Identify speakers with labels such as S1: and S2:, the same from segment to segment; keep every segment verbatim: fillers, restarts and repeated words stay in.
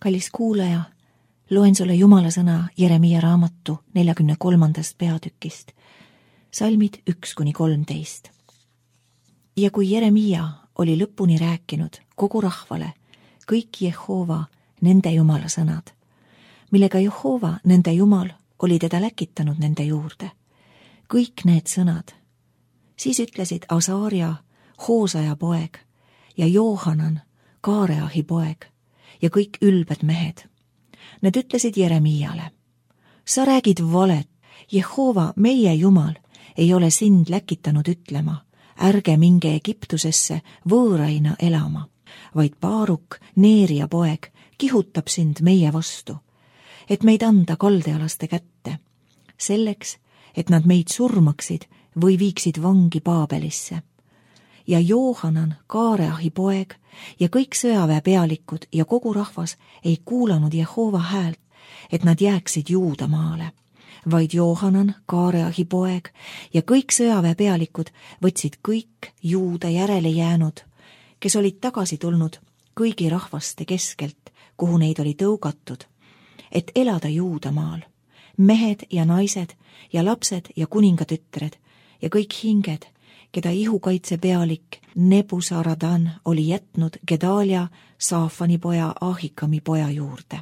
S1: Kallis kuulaja, loen sulle Jumala sõna Jeremiia raamatu neljakümne kolmandast peatükist, salmid üks kuni kolmteist. Ja kui Jeremiia oli lõpuni rääkinud kogu rahvale kõik Jehova nende Jumala sõnad, millega Jehova nende Jumal oli teda läkitanud nende juurde, kõik need sõnad, siis ütlesid Asaaria, Hoosaja poeg ja Joohanan, Kaareahi poeg ja kõik ülbed mehed. Need ütlesid Jeremiiale: sa räägid valet, Jehova, meie Jumal, ei ole sind läkitanud ütlema, ärge minge Egiptusesse võõraina elama, vaid Baaruk, Neeria poeg, kihutab sind meie vastu, et meid anda kaldealaste kätte, selleks, et nad meid surmaksid või viiksid vangi Paabelisse. Ja Joohanan, Kaareahi poeg ja kõik sõjaväepealikud ja kogu rahvas ei kuulanud Jehova häält, et nad jääksid Juudamaale, vaid Joohanan, Kaareahi poeg ja kõik sõjaväepealikud võtsid kõik Juuda järele jäänud, kes olid tagasi tulnud kõigi rahvaste keskelt, kuhu neid oli tõugatud, et elada Juudamaal, mehed ja naised ja lapsed ja kuningatütred ja kõik hinged, keda ihukaitse pealik Nebuzaradan oli jätnud Gedalia, Saafani poja, Ahikami poja juurde.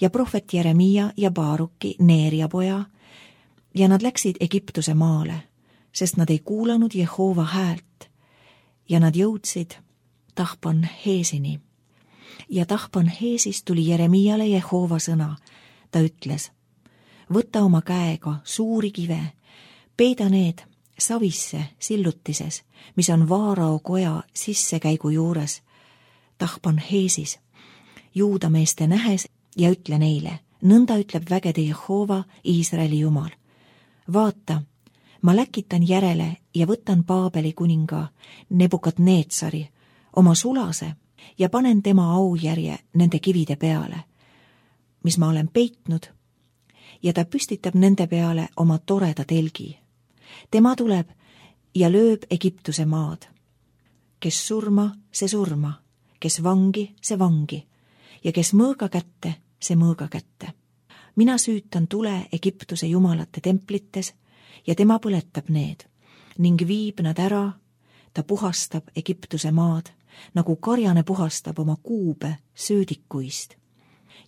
S1: Ja prohvet Jeremiia ja Baaruki, Neeria poja, ja nad läksid Egiptuse maale, sest nad ei kuulanud Jehova häält, ja nad jõudsid Tahpanheesini. Ja Tahpanheesis tuli Jeremiiale Jehova sõna, ta ütles: võta oma käega suuri kive, peida need savisse sillutises, mis on Vaarao koja sissekäigu juures, Tahpanheesis, juudameeste nähes, ja ütle neile: nõnda ütleb vägede Jehova, Iisraeli Jumal. vaata, ma läkitan järele ja võtan Paabeli kuninga Nebukadneetsari, oma sulase, ja panen tema aujärje nende kivide peale, mis ma olen peitnud, ja ta püstitab nende peale oma toreda telgi. Tema tuleb ja lööb Egiptuse maad. Kes surma, see surma, kes vangi, see vangi, ja kes mõõga kätte, see mõõga kätte. Mina süütan tule Egiptuse jumalate templites ja tema põletab need ning viib nad ära, ta puhastab Egiptuse maad, nagu karjane puhastab oma kuube söödikuist,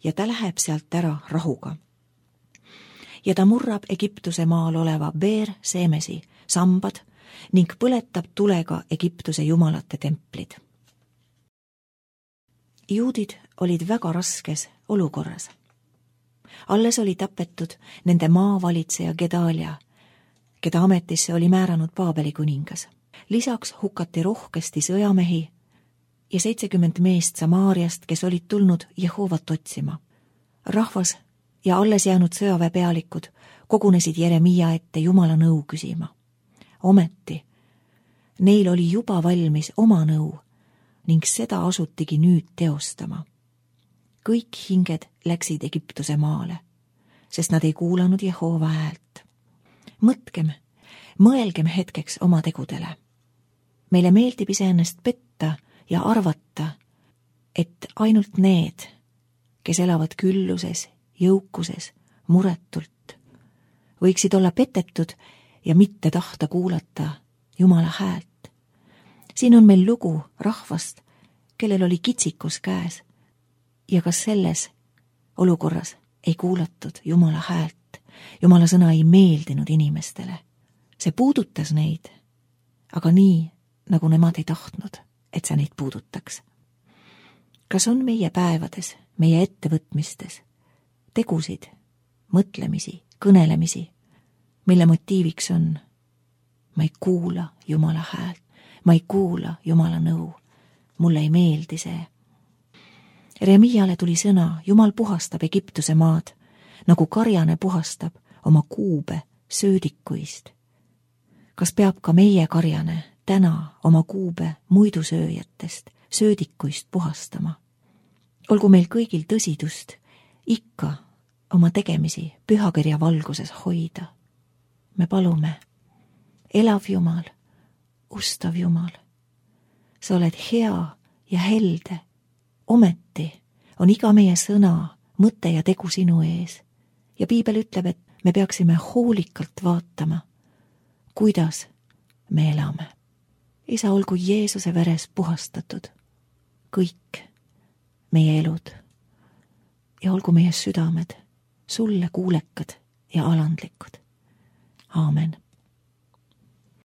S1: ja ta läheb sealt ära rahuga. Ja ta murrab Egiptuse maal oleva Beer-Seemesi sambad ning põletab tulega Egiptuse jumalate templid. Juudid olid väga raskes olukorras. Alles oli tapetud nende maavalitseja Gedalia, keda ametisse oli määranud Paabeli kuningas. Lisaks hukati rohkesti sõjamehi ja seitsekümmend meest Samaariast, kes olid tulnud Jehovat otsima. Rahvas ja alles jäänud sõjaväepealikud kogunesid Jeremiia ette Jumala nõu küsima. Ometi, neil oli juba valmis oma nõu ning seda asutigi nüüd teostama. Kõik hinged läksid Egiptuse maale, sest nad ei kuulanud Jehova häält. Mõtkem, mõelgem hetkeks oma tegudele. Meile meeldib iseennast petta ja arvata, et ainult need, kes elavad külluses, jõukuses, muretult, võiksid olla petetud ja mitte tahta kuulata Jumala häält. Siin on meil lugu rahvast, kellel oli kitsikus käes, ja kas selles olukorras ei kuulatud Jumala häält. Jumala sõna ei meeldinud inimestele. See puudutas neid, aga nii, nagu nemad ei tahtnud, et see neid puudutaks. Kas on meie päevades, meie ettevõtmistes tegusid, mõtlemisi, kõnelemisi, mille motiiviks on: ma ei kuula Jumala häält, ma ei kuula Jumala nõu, mulle ei meeldi see. Jeremiiale tuli sõna: Jumal puhastab Egiptuse maad, nagu karjane puhastab oma kuube söödikuist. Kas peab ka meie karjane täna oma kuube muidusööjatest söödikuist puhastama? Olgu meil kõigil tõsidust ikka oma tegemisi pühakirja valguses hoida. Me palume: elav Jumal, ustav Jumal, sa oled hea ja helde, ometi on iga meie sõna, mõte ja tegu sinu ees. Ja piibel ütleb, et me peaksime hoolikalt vaatama, kuidas me elame. Isa, olgu Jeesuse veres puhastatud kõik meie elud ja olgu meie südamed sulle kuulekad ja alandlikud. Aamen.